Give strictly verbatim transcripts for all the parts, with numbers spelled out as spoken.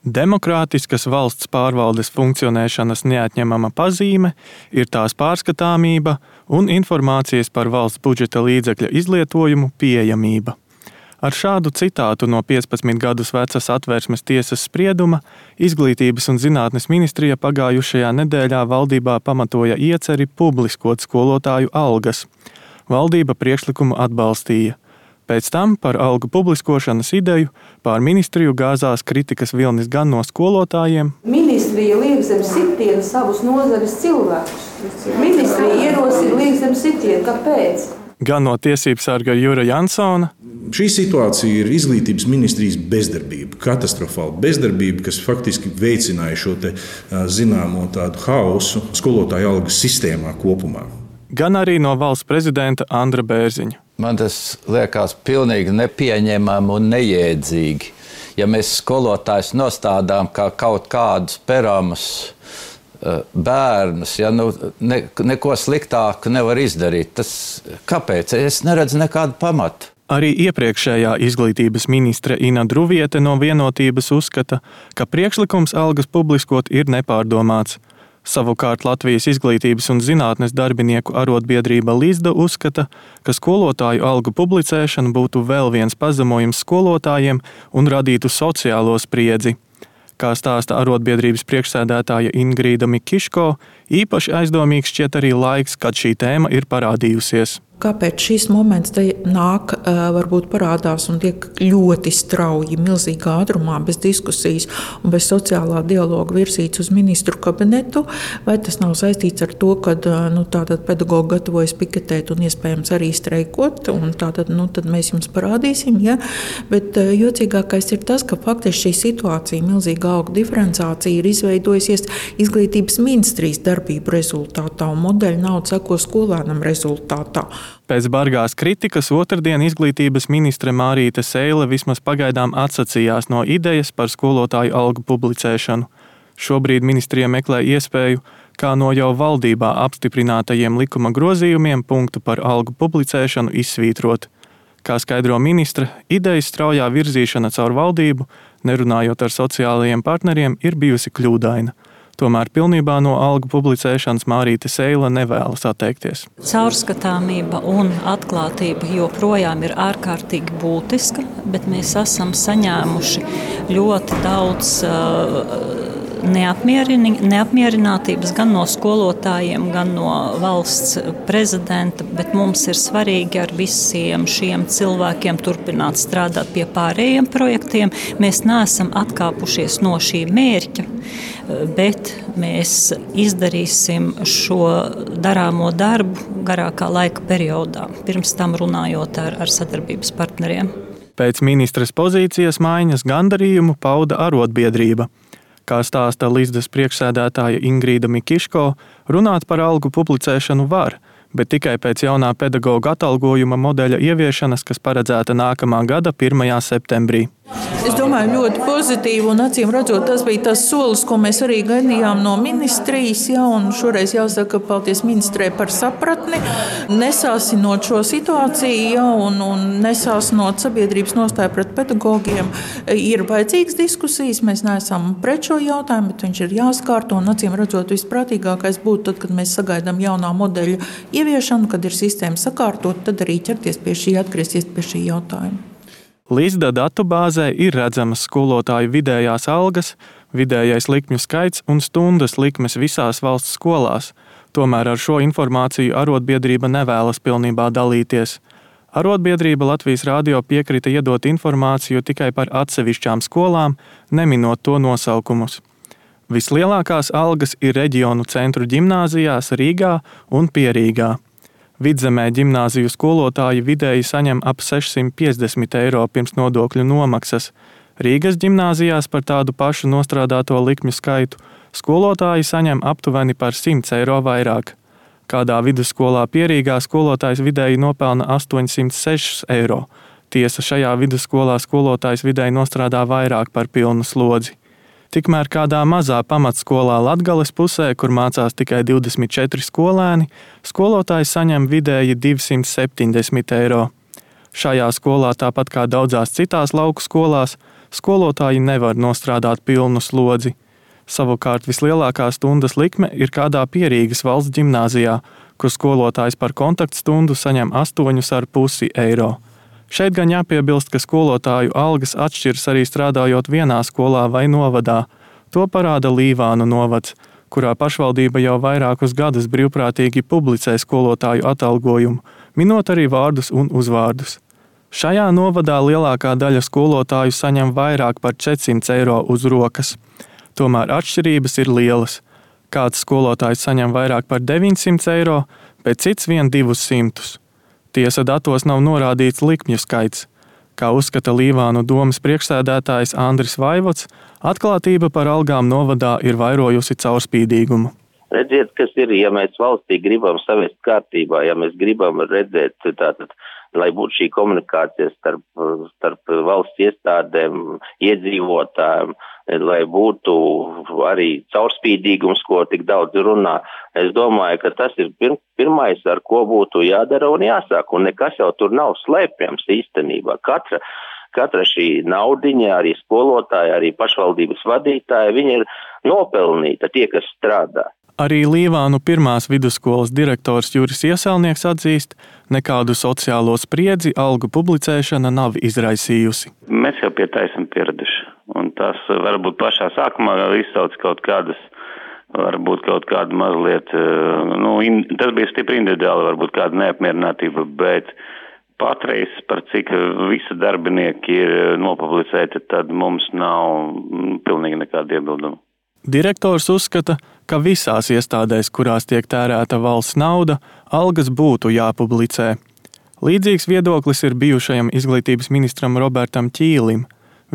Demokrātiskas valsts pārvaldes funkcionēšanas neatņemama pazīme ir tās pārskatāmība un informācijas par valsts budžeta līdzekļa izlietojumu pieejamība. Ar šādu citātu no piecpadsmit gadus vecas Atvērsmes tiesas sprieduma Izglītības un zinātnes ministrija pagājušajā nedēļā valdībā pamatoja ieceri publiskot skolotāju algas. Valdība priekšlikumu atbalstīja. Pēc tam par algu publiskošanas ideju pār ministriju gāzās kritikas vilnis gan no skolotājiem. Ministrija liek zem sitiena savus nozares cilvēkus. Ministrija ierosina liek zem sitiena. Kāpēc? Gan no tiesībsarga Jura Jansona. Šī situācija ir izglītības ministrijas bezdarbība, katastrofāla bezdarbība, kas faktiski veicināja šo te zināmo tādu haosu skolotāju algas sistēmā kopumā. Gan arī no valsts prezidenta Andra Bērziņa. Man tas liekas pilnīgi nepieņemami un neiedzīgi. Ja mēs skolotājus nostādām kā kaut kādus peramus bērnus, ja nu, ne, neko sliktāku nevar izdarīt, tas kāpēc? Es neredzu nekādu pamatu. Arī iepriekšējā izglītības ministre Ina Druviete no Vienotības uzskata, ka priekšlikums algas publiskot ir nepārdomāts. Savukārt Latvijas Izglītības un zinātnes darbinieku arotbiedrība Lizda uzskata, ka skolotāju algu publicēšana būtu vēl viens pazemojums skolotājiem un radītu sociālo spriedzi. Kā stāsta arotbiedrības priekšsēdētāja Ingrīda Mikiško, īpaši aizdomīgs šķiet arī laiks, kad šī tēma ir parādījusies. Kāpēc šis moments te nāk, varbūt parādās un tiek ļoti strauji, milzīgā ātrumā, bez diskusijas un bez sociālā dialoga virzīts uz ministru kabinetu? Vai tas nav saistīts ar to, ka nu, tātad pedagogi gatavojas piketēt un iespējams arī streikot, un tātad nu, tad mēs jums parādīsim, ja? Bet jocīgākais ir tas, ka faktiski šī situācija, milzīga algu diferenciācija ir izveidojusies izglītības ministrijas darbību rezultātā, un modeļa nauda seko skolēnam rezultātā. Pēc bargās kritikas otrdien izglītības ministre Mārīte Seile vismaz pagaidām atsacījās no idejas par skolotāju algu publicēšanu. Šobrīd ministrija meklē iespēju, kā no jau valdībā apstiprinātajiem likuma grozījumiem punktu par algu publicēšanu izsvītrot. Kā skaidro ministre, idejas straujā virzīšana caur valdību, nerunājot ar sociālajiem partneriem, ir bijusi kļūdaina. Tomēr pilnībā no algu publicēšanas Mārīte Seile nevēlas atteikties. Caurskatāmība un atklātība joprojām ir ārkārtīgi būtiska, bet mēs esam saņēmuši ļoti daudz uh, neapmierinātības gan no skolotājiem, gan no valsts prezidenta, bet mums ir svarīgi ar visiem šiem cilvēkiem turpināt strādāt pie pārējiem projektiem. Mēs neesam atkāpušies no šī mērķa, bet mēs izdarīsim šo darāmo darbu garākā laika periodā, pirms tam runājot ar, ar sadarbības partneriem. Pēc ministres pozīcijas maiņas gandarījumu pauda arotbiedrība. Kā stāsta Lizdas priekšsēdētāja Ingrīda Mikiško, runāt par algu publicēšanu var, bet tikai pēc jaunā pedagoga atalgojuma modeļa ieviešanas, kas paredzēta nākamā gada pirmajā septembrī. Es domāju, ļoti pozitīvi, un acīm redzot, tas bija tas solis, ko mēs arī gaidījām no ministrijas, ja, un šoreiz jāsaka paldies ministrē par sapratni, nesāsinot šo situāciju, ja, un, un nesāsinot sabiedrības nostāju pret pedagogiem. Ir vajadzīgas diskusijas, mēs neesam pret šo jautājumu, bet viņš ir jāskārto, un acīm redzot, visprātīgākais būtu tad, kad mēs sagaidām jaunā modeļa ieviešanu, kad ir sistēma sakārtot, tad arī ķerties pie šī, atgriezties pie šī jautājuma. Lizda datubāzē ir redzamas skolotāju vidējās algas, vidējais likmju skaits un stundas likmes visās valsts skolās. Tomēr ar šo informāciju arotbiedrība nevēlas pilnībā dalīties. Arotbiedrība Latvijas radio piekrita iedot informāciju tikai par atsevišķām skolām, neminot to nosaukumus. Vislielākās algas ir reģionu centru ģimnāzijās Rīgā un Pierīgā. Vidzemē ģimnāziju skolotāji vidēji saņem ap sešsimt piecdesmit eiro pirms nodokļu nomaksas. Rīgas ģimnāzijās par tādu pašu nostrādāto likmju skaitu skolotāji saņem aptuveni par simts eiro vairāk. Kādā vidusskolā Pierīgā skolotājs vidēji nopelna astoņsimt sešus eiro. Tiesa, šajā vidusskolā skolotājs vidēji nostrādā vairāk par pilnu slodzi. Tikmēr kādā mazā pamatskolā Latgales pusē, kur mācās tikai divdesmit četri skolēni, skolotājs saņem vidēji divsimt septiņdesmit eiro. Šajā skolā, tāpat kā daudzās citās lauku skolās, skolotāji nevar nostrādāt pilnu slodzi. Savukārt vislielākā stundas likme ir kādā Pierīgas valsts ģimnāzijā, kur skolotājs par kontaktstundu saņem astoņus ar pusi eiro. Šeit gan jāpiebilst, ka skolotāju algas atšķiras arī strādājot vienā skolā vai novadā. To parāda Līvānu novads, kurā pašvaldība jau vairākus gadus brīvprātīgi publicē skolotāju atalgojumu, minot arī vārdus un uzvārdus. Šajā novadā lielākā daļa skolotāju saņem vairāk par četrsimt eiro uz rokas. Tomēr atšķirības ir lielas. Kāds skolotājs saņem vairāk par deviņsimt eiro, bet cits vien divus simtus. Tiesa datos nav norādīts likmju skaits. Kā uzskata Līvānu domas priekšsēdētājs Andris Vaivots, atklātība par algām novadā ir vairojusi caurspīdīgumu. Redziet, kas ir, ja mēs valstī gribam savest kārtībā, ja mēs gribam redzēt tātad, lai būtu šī komunikācija starp, starp valsts iestādēm, iedzīvotājiem, lai būtu arī caurspīdīgums, ko tik daudz runā. Es domāju, ka tas ir pir, pirmais, ar ko būtu jādara un jāsāk, un nekas jau tur nav slēpjams īstenībā. Katra, katra šī naudiņa, arī skolotāja, arī pašvaldības vadītāja, viņi ir nopelnīta, tie, kas strādā. Arī Līvānu pirmās vidusskolas direktors Juris Ieselnieks atzīst, nekādu sociālo spriedzi algu publicēšana nav izraisījusi. Mēs jau pie tā esam pieraduši, un tas varbūt pašā sākumā izsauc kaut kādas, varbūt kaut kāda mazliet, nu, in, tas bija stipri individuāli, varbūt kāda neapmierinātība, bet patreiz par cik visi darbinieki ir nopublicēti, tad mums nav pilnīgi nekāda iebilduma. Direktors uzskata, ka visās iestādēs, kurās tiek tērēta valsts nauda, algas būtu jāpublicē. Līdzīgs viedoklis ir bijušajam izglītības ministram Robertam Ķīlim.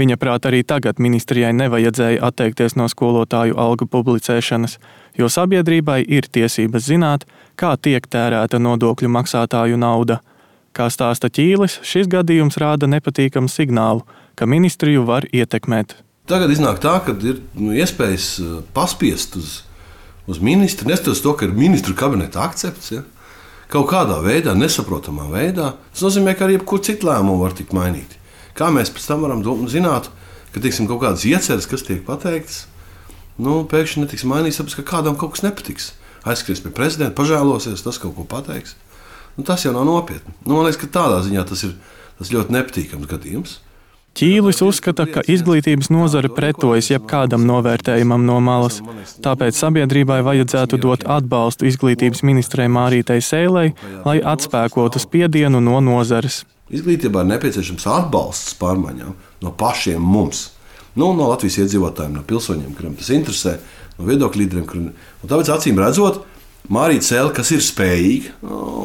Viņa prāt arī tagad ministrijai nevajadzēja atteikties no skolotāju algu publicēšanas, jo sabiedrībai ir tiesības zināt, kā tiek tērēta nodokļu maksātāju nauda. Kā stāsta Ķīlis, šis gadījums rāda nepatīkamu signālu, ka ministriju var ietekmēt. Tagad iznāk tā, ka ir nu, iespējas paspiest uz, uz ministru, neskatoties to, ka ir ministru kabineta akcepts, ja? Kaut kādā veidā, nesaprotamā veidā. Tas nozīmē, ka arī jebkur citu lēmumu var tikt mainīti. Kā mēs pēc tam varam zināt, ka tiksim, kaut kādas ieceres, kas tiek pateiktas, nu, pēkšņi netiks mainīts, tāpēc, ka kādam kaut kas nepatiks. Aizskries pie prezidenta, pažēlosies, tas kaut ko pateiks. Nu, tas jau nav nopietni. Nu, man liekas, ka tādā ziņā tas ir tas ļoti nepatīkams gadījums. Ķīlis uzskata, ka izglītības nozare pretojas jebkādam novērtējumam no malas, tāpēc sabiedrībai vajadzētu dot atbalstu izglītības ministrei Mārītei Sēlei, lai atspēkotu spiedienu no nozares. Izglītībā ir nepieciešams atbalsts pārmaiņām no pašiem mums, nu, no Latvijas iedzīvotājiem, no pilsoņiem, kuriem tas interesē, no viedokļu līderiem. Kuriem... Un tāpēc acīm redzot, Mārīte Sēle, kas ir spējīga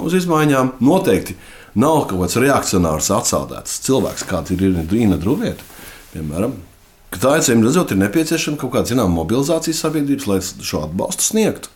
uz izmaiņām, noteikti nav kaut kāds reakcionārs atsaldēts cilvēks, kāds ir Rīna Druvieta, piemēram. Tā acīm redzot, ir nepieciešama kaut kāda zināma mobilizācijas sabiedrības, lai šo atbalstu sniegtu.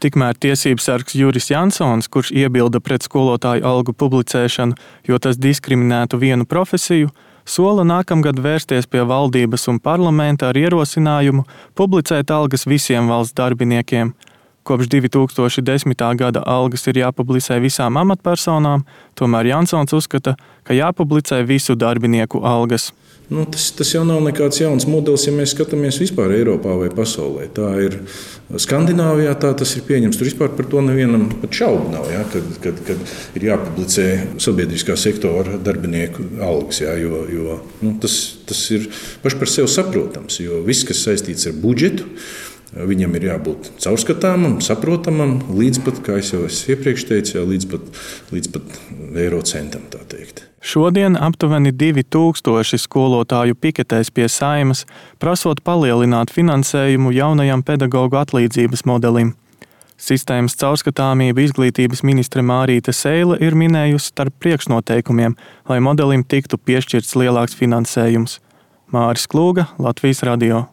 Tikmēr tiesības sargs Juris Jansons, kurš iebilda pret skolotāju algu publicēšanu, jo tas diskriminētu vienu profesiju, sola nākamgad vērsties pie valdības un parlamenta ar ierosinājumu publicēt algas visiem valsts darbiniekiem. Kopš divi tūkstoši desmitā gada algas ir jāpublicē visām amatpersonām, tomēr Jansons uzskata, ka jāpublicē visu darbinieku algas. Nu, tas, tas jau nav nekāds jauns modelis, ja mēs skatāmies vispār Eiropā vai pasaulē. Tā ir Skandināvijā, tā tas ir pieņems. Tur vispār par to nevienam pat šaubu nav, ja, kad, kad, kad ir jāpublicē sabiedriskā sektora darbinieku algas. Ja, jo, jo, nu, tas, tas ir paši par sevi saprotams, jo viss, kas saistīts ar budžetu, viņam ir jābūt caurskatāmam, saprotamam, līdz pat, kā jau es iepriekš teicu, jau līdz pat, līdz pat eiro centam, tā teikt. Šodien aptuveni divi tūkstoši skolotāju piketēs pie Saeimas, prasot palielināt finansējumu jaunajam pedagogu atlīdzības modelim. Sistēmas caurskatāmība izglītības ministre Mārīte Sēle ir minējusi starp priekšnoteikumiem, lai modelim tiktu piešķirts lielāks finansējums. Māris Klūga, Latvijas radio.